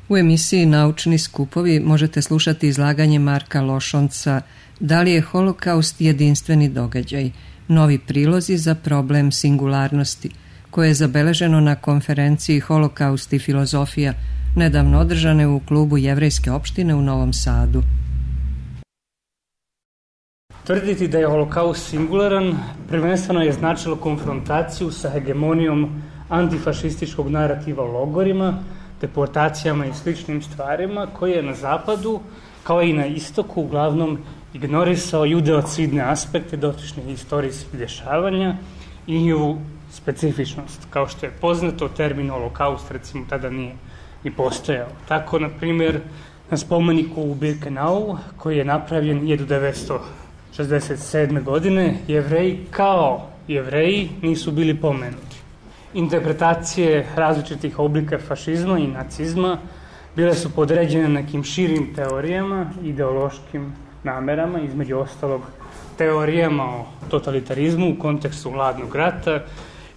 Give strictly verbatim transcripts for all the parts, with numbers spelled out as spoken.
U emisiji Naučni skupovi možete slušati izlaganje Marka Lošonca Da li je holokaust jedinstveni događaj? Novi prilozi za problem singularnosti, koje je zabeleženo na konferenciji Holokaust i filozofija, nedavno održane u klubu Jevrejske opštine u Novom Sadu. Tvrditi da je holokaust singularan prvenstveno je značilo konfrontaciju sa hegemonijom antifašističkog narativa o logorima, deportacijama i sličnim stvarima koje je na zapadu, kao i na istoku, uglavnom ignorisao judeocidne aspekte dotičnih istorijskih dešavanja i njihovu specifičnost. Kao što je poznato, termin holokaust recimo tada nije ni postojao. Tako, na primjer, na spomeniku u Birkenau, koji je napravljen hiljadu devetsto šezdeset sedme. godine, Jevreji kao Jevreji nisu bili pomenuti. Interpretacije različitih oblika fašizma i nacizma bile su podređene nekim širim teorijama, ideološkim namerama, između ostalog teorijama o totalitarizmu u kontekstu hladnog rata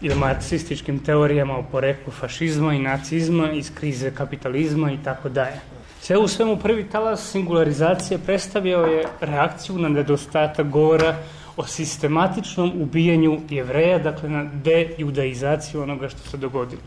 ili marksističkim teorijama o poreklu fašizma i nacizma iz krize kapitalizma i tako dalje. Sve u svemu prvi talas singularizacije predstavljao je reakciju na nedostatak govora o sistematičnom ubijanju Jevreja, dakle na dejudaizaciju onoga što se dogodilo.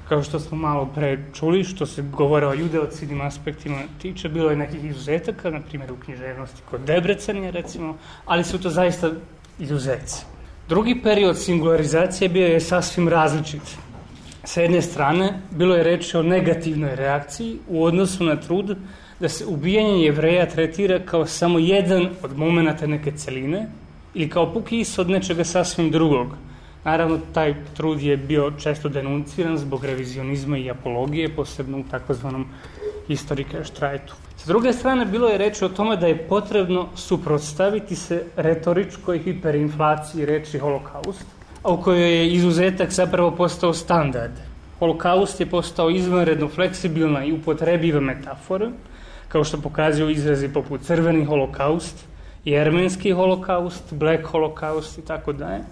Kao što smo malo pre čuli, što se govore o judeocidnim aspektima tiče, bilo je nekih izuzetaka, na primjer u književnosti kod Debrecenija recimo, ali su to zaista izuzeci. Drugi period singularizacije bio je sasvim različit. Sa jedne strane, bilo je reči o negativnoj reakciji u odnosu na trud da se ubijanje Jevreja tretira kao samo jedan od momenata neke celine ili kao puki ishod nečega sasvim drugog. Naravno, taj trud je bio često denunciran zbog revizionizma i apologije, posebno u takozvanom historikerštrajtu. Sa druge strane, bilo je reči o tome da je potrebno suprotstaviti se retoričkoj hiperinflaciji reči holokaust, a u kojoj je izuzetak zapravo postao standard. Holokaust je postao izvanredno fleksibilna i upotrebiva metafora, kao što pokazuju izrazi poput crveni holokaust, jermenski holokaust, black holokaust i tako dalje.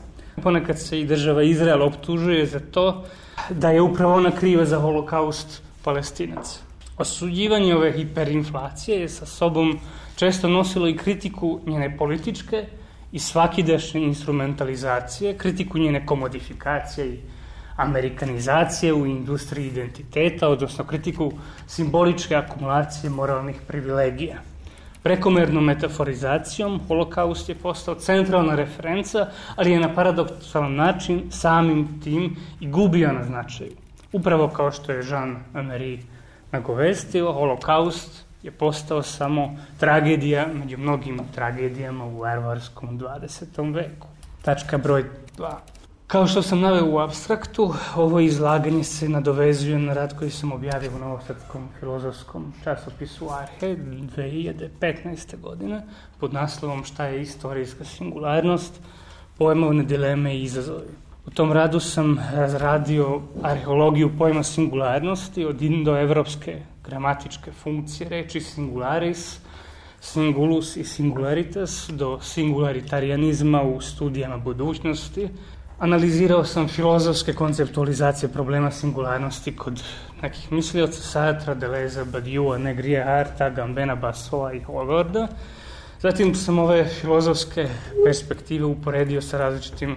Ponekad se i država Izrael optužuje za to da je upravo ona kriva za holokaust Palestinaca. Osuđivanje ove hiperinflacije je sa sobom često nosilo i kritiku njene političke i svakidašnje instrumentalizacije, kritiku njene komodifikacije i amerikanizacije u industriji identiteta, odnosno kritiku simboličke akumulacije moralnih privilegija. Prekomernom metaforizacijom holokaust je postao centralna referenca, ali je na paradoksalan način samim tim i gubio na značaju. Upravo kao što je Jean-Marie nagovestio, holokaust je postao samo tragedija među mnogim tragedijama u varvarskom dvadesetom veku. Tačka broj dva. Kao što sam naveo u apstraktu, ovo izlaganje se nadovezuje na rad koji sam objavio u novosadskom filozofskom časopisu Arhe dve hiljade petnaeste. godine pod naslovom Šta je istorijska singularnost, pojmovne dileme i izazovi. U tom radu sam razradio arheologiju pojma singularnosti od indoevropske gramatičke funkcije reči singularis, singulus i singularitas do singularitarianizma u studijama budućnosti. Analizirao sam filozofske konceptualizacije problema singularnosti kod nekih mislioca Sartra, Deleuze, Badiou, Negrije, Harta, Gambena, Bassoa i Hogarda. Zatim sam ove filozofske perspektive uporedio sa različitim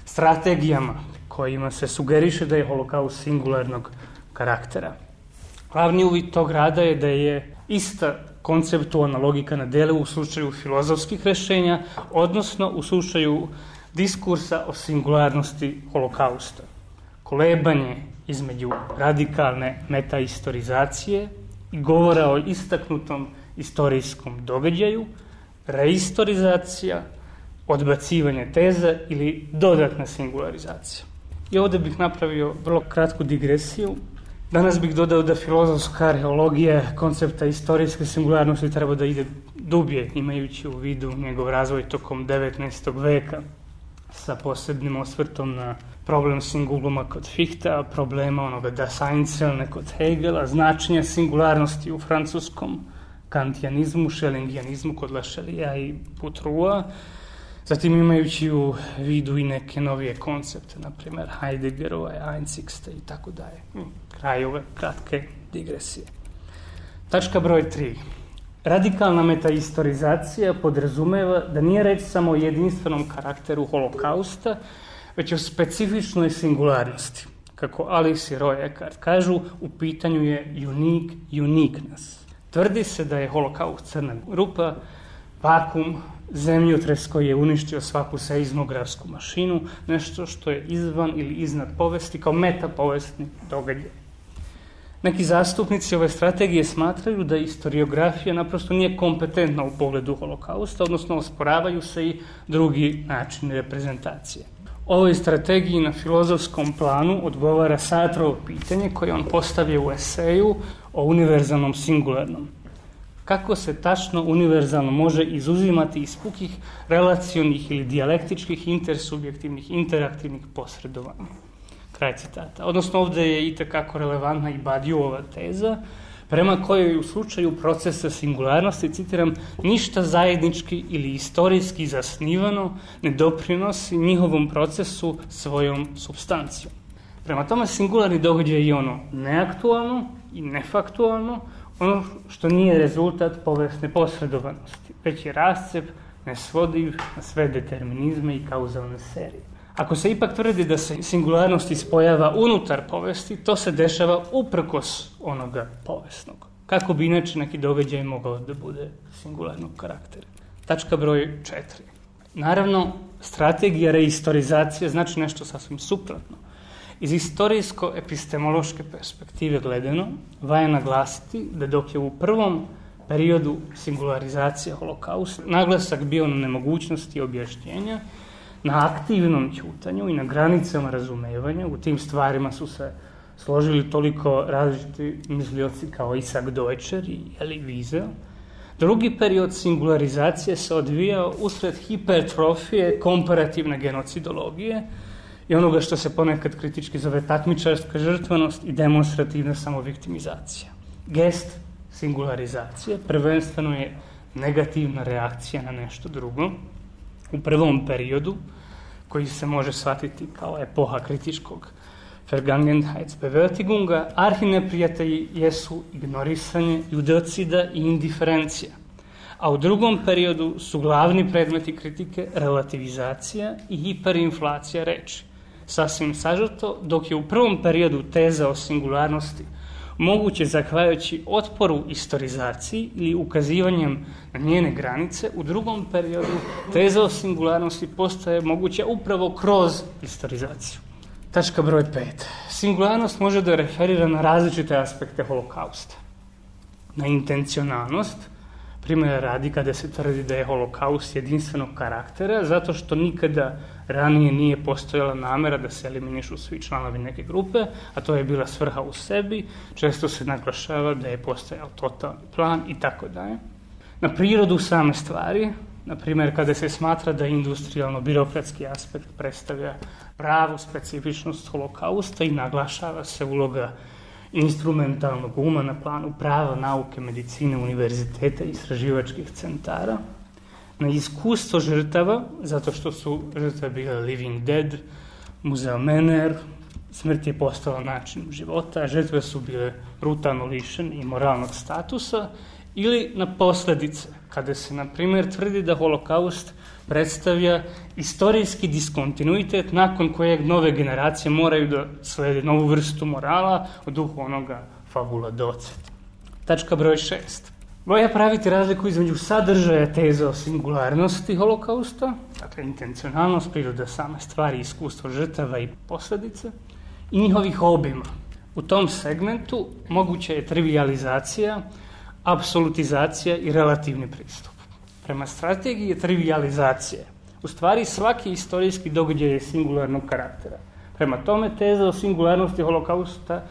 strategijama kojima se sugeriše da je holokaust singularnog karaktera. Glavni uvid tog rada je da je ista konceptualna logika na delu u slučaju filozofskih rešenja, odnosno u slučaju diskursa o singularnosti holokausta. Kolebanje između radikalne metaistorizacije i govora o istaknutom istorijskom događaju, reistorizacija, odbacivanje teza ili dodatna singularizacija. I ovdje bih napravio vrlo kratku digresiju. Danas bih dodao da filozofska arheologija koncepta istorijske singularnosti treba da ide dublje, imajući u vidu njegov razvoj tokom devetnaestog veka, sa posebnim osvrtom na problem singuluma kod Fichtea, problema onoga das Einzelne kod Hegela, značenja singularnosti u francuskom kantijanizmu, šelingijanizmu kod Lašelija i Putrua, zatim imajući u vidu i neke novije koncepte, na primjer Heideggerova, Einzigste i tako dalje. Kraj ove kratke digresije. Tačka broj tri. Radikalna metaistorizacija podrazumeva da nije reč samo o jedinstvenom karakteru holokausta, već o specifičnoj singularnosti. Kako Alice i Roy Eckart kažu, u pitanju je unique uniqueness. Tvrdi se da je holokaust crna rupa, vakum, zemljotres koji je uništio svaku seizmografsku mašinu, nešto što je izvan ili iznad povesti kao metapovestni događaj. Neki zastupnici ove strategije smatraju da historiografija naprosto nije kompetentna u pogledu holokausta, odnosno osporavaju se i drugi načini reprezentacije. Ovoj strategiji na filozofskom planu odgovara Sartrovo pitanje koje on postavio u eseju o univerzalnom singularnom. Kako se tačno univerzalno može izuzimati iz pukih relacionih ili dijalektičkih intersubjektivnih interaktivnih posredovanja. Kraj citata. Odnosno ovdje je itekako relevantna i Badiouova teza, prema kojoj u slučaju procesa singularnosti, citiram, ništa zajednički ili istorijski zasnivano ne doprinosi njihovom procesu svojom supstancijom. Prema tome, singularni događaj je ono neaktualno i nefaktualno, ono što nije rezultat povijesne posredovanosti, već je rascep nesvodiv na sve determinizme i kauzalne serije. Ako se ipak tvrdi da se singularnost ispojava unutar povesti, to se dešava uprkos onoga povijesnog. Kako bi inače neki događaj mogao da bude singularnog karaktera? Tačka broj četiri. Naravno, strategija reistorizacije znači nešto sasvim suprotno. Iz istorijsko-epistemološke perspektive gledano, valja naglasiti da dok je u prvom periodu singularizacije holokausta naglasak bio na nemogućnosti objašnjenja, na aktivnom ćutanju i na granicama razumevanja, u tim stvarima su se složili toliko različiti mislioci kao Isaac Deutscher i Elie Wiesel. Drugi period singularizacije se odvijao usred hipertrofije komparativne genocidologije i onoga što se ponekad kritički zove takmičarska žrtvanost i demonstrativna samoviktimizacija. Gest singularizacije prvenstveno je negativna reakcija na nešto drugo. U prvom periodu, koji se može shvatiti kao epoha kritičkog Vergangenheitsbewältigunga, arhineprijatelji jesu ignorisanje judocida i indiferencija. A u drugom periodu su glavni predmeti kritike relativizacija i hiperinflacija reči. Sasvim sažeto, dok je u prvom periodu teza o singularnosti moguće zahvaljujući otporu istorizaciji ili ukazivanjem na njene granice, u drugom periodu teza o singularnosti postaje moguća upravo kroz istorizaciju. Tačka broj pet. Singularnost može da referira na različite aspekte holokausta. Na intencionalnost, primjera radi kada se tvrdi da je holokaust jedinstvenog karaktera, zato što nikada ranije nije postojala namera da se eliminišu svi članovi neke grupe, a to je bila svrha u sebi, često se naglašava da je postojao totalni plan i tako dalje. Na prirodu same stvari, na primjer kada se smatra da industrijalno-birokratski aspekt predstavlja pravu specifičnost holokausta i naglašava se uloga instrumentalnog uma na planu prava, nauke, medicine, univerziteta i istraživačkih centara, na iskustvo žrtava, zato što su žrtve bile living dead, muzeo Mener, smrt je postala način života, žrtve su bile brutalno lišene i moralnog statusa, ili na posljedice, kada se, na primjer, tvrdi da holokaust predstavlja istorijski diskontinuitet nakon kojeg nove generacije moraju da slede novu vrstu morala u duhu onoga fabula docet. Tačka broj šest. Valja praviti razliku između sadržaja teze o singularnosti holokausta, dakle intencionalnost, priroda same stvari, iskustvo žrtava i posljedice, i njihovih obima. U tom segmentu moguća je trivializacija, apsolutizacija i relativni pristup. Prema strategiji je trivializacije. U stvari svaki istorijski događaj je singularnog karaktera. Prema tome teza o singularnosti holokausta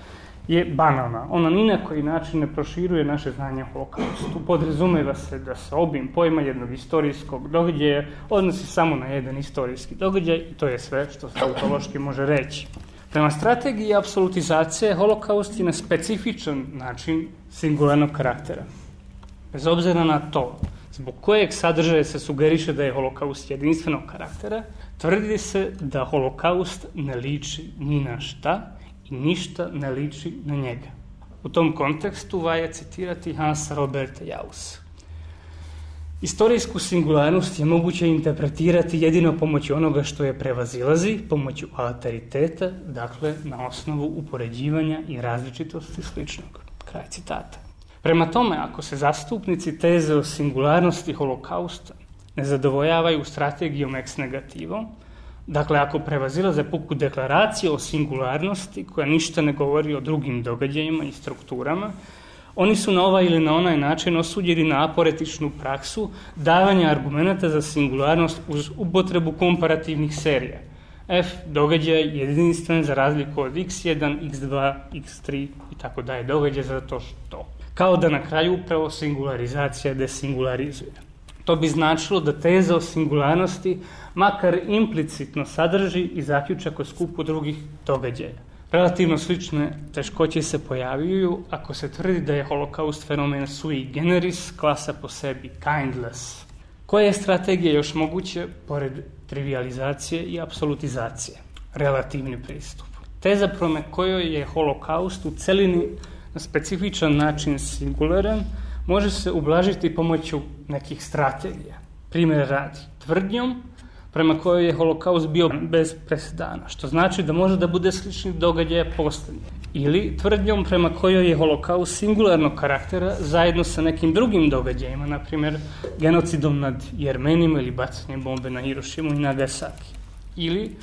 je banalna. Ona ni na koji način ne proširuje naše znanje o holokaustu. Podrazumeva se da se obim pojma jednog istorijskog događaja odnosi samo na jedan istorijski događaj i to je sve što se autološki može reći. Prema strategiji apsolutizacije, holokaust je na specifičan način singularnog karaktera. Bez obzira na to zbog kojeg sadržaja se sugeriše da je holokaust jedinstvenog karaktera, tvrdi se da holokaust ne liči ni na šta i ništa ne liči na njega. U tom kontekstu valja citirati Hansa Roberta Jaussa. Istorijsku singularnost je moguće interpretirati jedino pomoću onoga što je prevazilazi, pomoću alteriteta, dakle na osnovu upoređivanja i različitosti sličnog. Kraj citata. Prema tome, ako se zastupnici teze o singularnosti holokausta ne zadovoljavaju strategijom ex negativo, dakle ako prevazilaze puku deklaraciju o singularnosti koja ništa ne govori o drugim događajima i strukturama, oni su na ovaj ili na onaj način osuđeni na aporetičnu praksu davanja argumenta za singularnost uz upotrebu komparativnih serija. F događaj je jedinstven za razliku od iks jedan, iks dva, iks tri i tako dalje događaj zato što. Kao da na kraju upravo singularizacija desingularizuje. To bi značilo da teza o singularnosti makar implicitno sadrži i zaključak o skupu drugih događaja. Relativno slične teškoće se pojavljuju ako se tvrdi da je holokaust fenomen sui generis, klasa po sebi, kindless. Koja je strategija još moguće pored trivializacije i apsolutizacije? Relativni pristup. Teza prema kojoj je holokaust u celini na specifičan način singularan može se ublažiti pomoću nekih strategija. Primjer radi, tvrdnjom prema kojoj je holokaust bio bez presedana, što znači da može da bude sličnih događaja poslednje. Ili tvrdnjom prema kojoj je holokaust singularnog karaktera zajedno sa nekim drugim događajima, na primjer genocidom nad Jermenima ili bacanjem bombe na Hirošimu i Nagasaki. Ili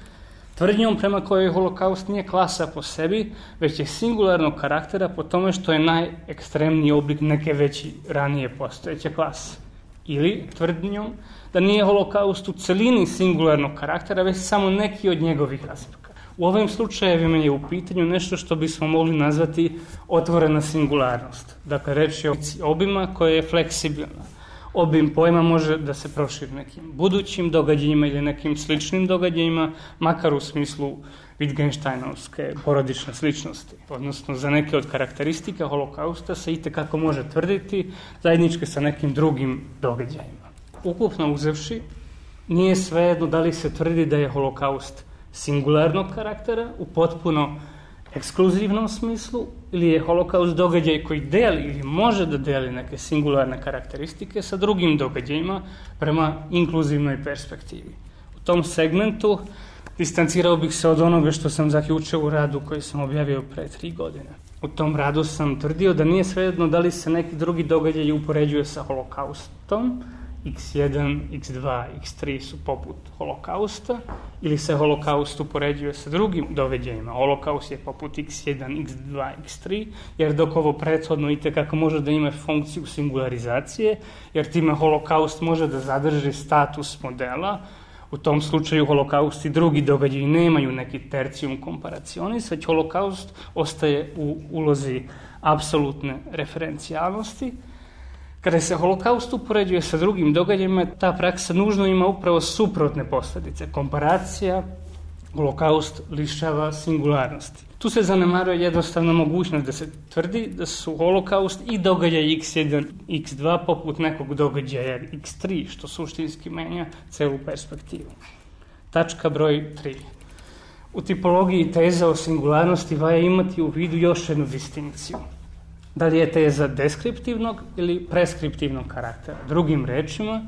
tvrdnjom prema kojoj holokaust nije klasa po sebi, već je singularnog karaktera po tome što je najekstremniji oblik neke veći ranije postojeće klase. Ili tvrdnjom da nije holokaust u celini singularnog karaktera, već samo neki od njegovih aspekata. U ovim slučajevima je u pitanju nešto što bismo mogli nazvati otvorena singularnost. Dakle, reč je o obima koja je fleksibilna. Obim pojma može da se proširi nekim budućim događajima ili nekim sličnim događajima, makar u smislu Wittgensteinovske porodične sličnosti. Odnosno, za neke od karakteristika holokausta se itekako može tvrditi zajedničke sa nekim drugim događajima. Ukupno uzevši, nije svejedno da li se tvrdi da je holokaust singularnog karaktera u potpuno ekskluzivnom smislu ili je holokaust događaj koji deli ili može da deli neke singularne karakteristike sa drugim događajima prema inkluzivnoj perspektivi. U tom segmentu distancirao bih se od onoga što sam zaključio u radu koji sam objavio pre tri godine. U tom radu sam tvrdio da nije svejedno da li se neki drugi događaj upoređuje sa holokaustom, iks jedan, iks dva, iks tri su poput holokausta, ili se holokaust upoređuje sa drugim događajima. Holokaust je poput iks jedan, iks dva, iks tri, jer dok ovo prethodno itekako može da ima funkciju singularizacije, jer time holokaust može da zadrži status modela. U tom slučaju holokaust i drugi događaji nemaju neki tercium comparationis, već holokaust ostaje u ulozi apsolutne referencijalnosti. Kada se holokaust upoređuje sa drugim događajima, ta praksa nužno ima upravo suprotne posljedice. Komparacija, holokaust lišava singularnosti. Tu se zanemaruje jednostavna mogućnost da se tvrdi da su holokaust i događaj iks jedan, iks dva poput nekog događaja iks tri, što suštinski menja celu perspektivu. Tačka broj tri. U tipologiji teza o singularnosti valja imati u vidu još jednu distinkciju. Da li je teza deskriptivnog ili preskriptivnog karaktera? Drugim rečima,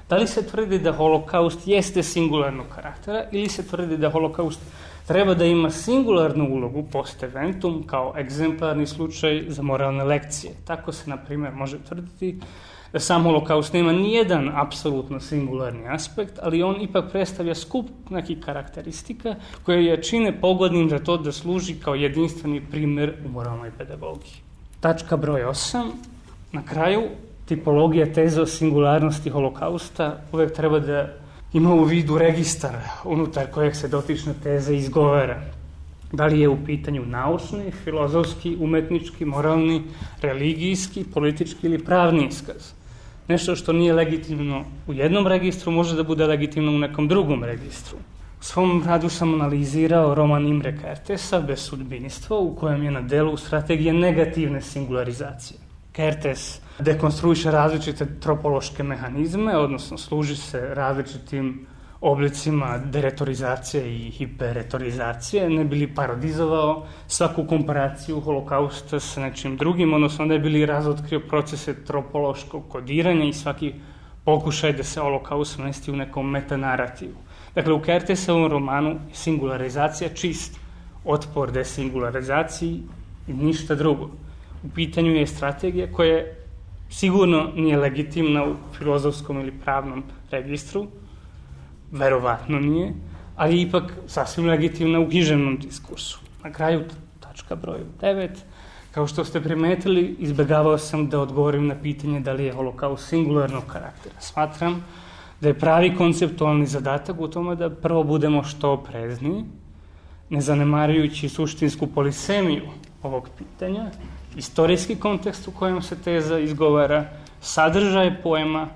da li se tvrdi da holokaust jeste singularnog karaktera ili se tvrdi da holokaust treba da ima singularnu ulogu post eventum kao egzemplarni slučaj za moralne lekcije. Tako se, na primjer, može tvrditi da sam holokaust nema nijedan apsolutno singularni aspekt, ali on ipak predstavlja skup nekih karakteristika koje je čine pogodnim za to da služi kao jedinstveni primjer u moralnoj pedagogiji. Tačka broj osam. Na kraju, tipologija teze o singularnosti holokausta uvek treba da ima u vidu registar unutar kojeg se dotična teza izgovara. Da li je u pitanju naučni, filozofski, umetnički, moralni, religijski, politički ili pravni iskaz. Nešto što nije legitimno u jednom registru može da bude legitimno u nekom drugom registru. U svom radu sam analizirao roman Imre Kertesa, Bezsudbinstvo, u kojem je na delu strategija negativne singularizacije. Kertes dekonstruiše različite tropološke mehanizme, odnosno služi se različitim oblicima deretorizacije i hiperretorizacije, ne bi li parodizovao svaku komparaciju holokausta sa nečim drugim, odnosno ne bi li razotkrio procese tropološkog kodiranja i svaki pokušaj da se holokaust smesti u nekom metanarativu. Dakle, u Kertesovom romanu je singularizacija čist otpor desingularizaciji i ništa drugo. U pitanju je strategija koja sigurno nije legitimna u filozofskom ili pravnom registru, verovatno nije, ali ipak sasvim legitimna u književnom diskursu. Na kraju, tačka broj devet, kao što ste primetili, izbegavao sam da odgovorim na pitanje da li je holokaust singularnog karaktera. Smatram da je pravi konceptualni zadatak u tome da prvo budemo što oprezniji, ne zanemarujući suštinsku polisemiju ovog pitanja, istorijski kontekst u kojem se teza izgovara, sadržaj poema,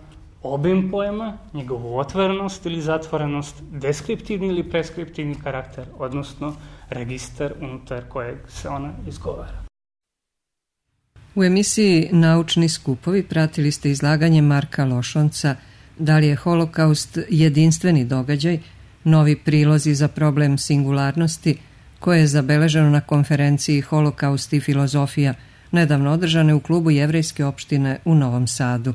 obim poema, njegovu otvorenost ili zatvorenost, deskriptivni ili preskriptivni karakter, odnosno registar unutar kojeg se ona izgovara. U emisiji Naučni skupovi pratili ste izlaganje Marka Lošonca Da li je holokaust jedinstveni događaj, novi prilozi za problem singularnosti, koje je zabeleženo na konferenciji Holokaust i filozofija, nedavno održane u klubu Jevrejske opštine u Novom Sadu.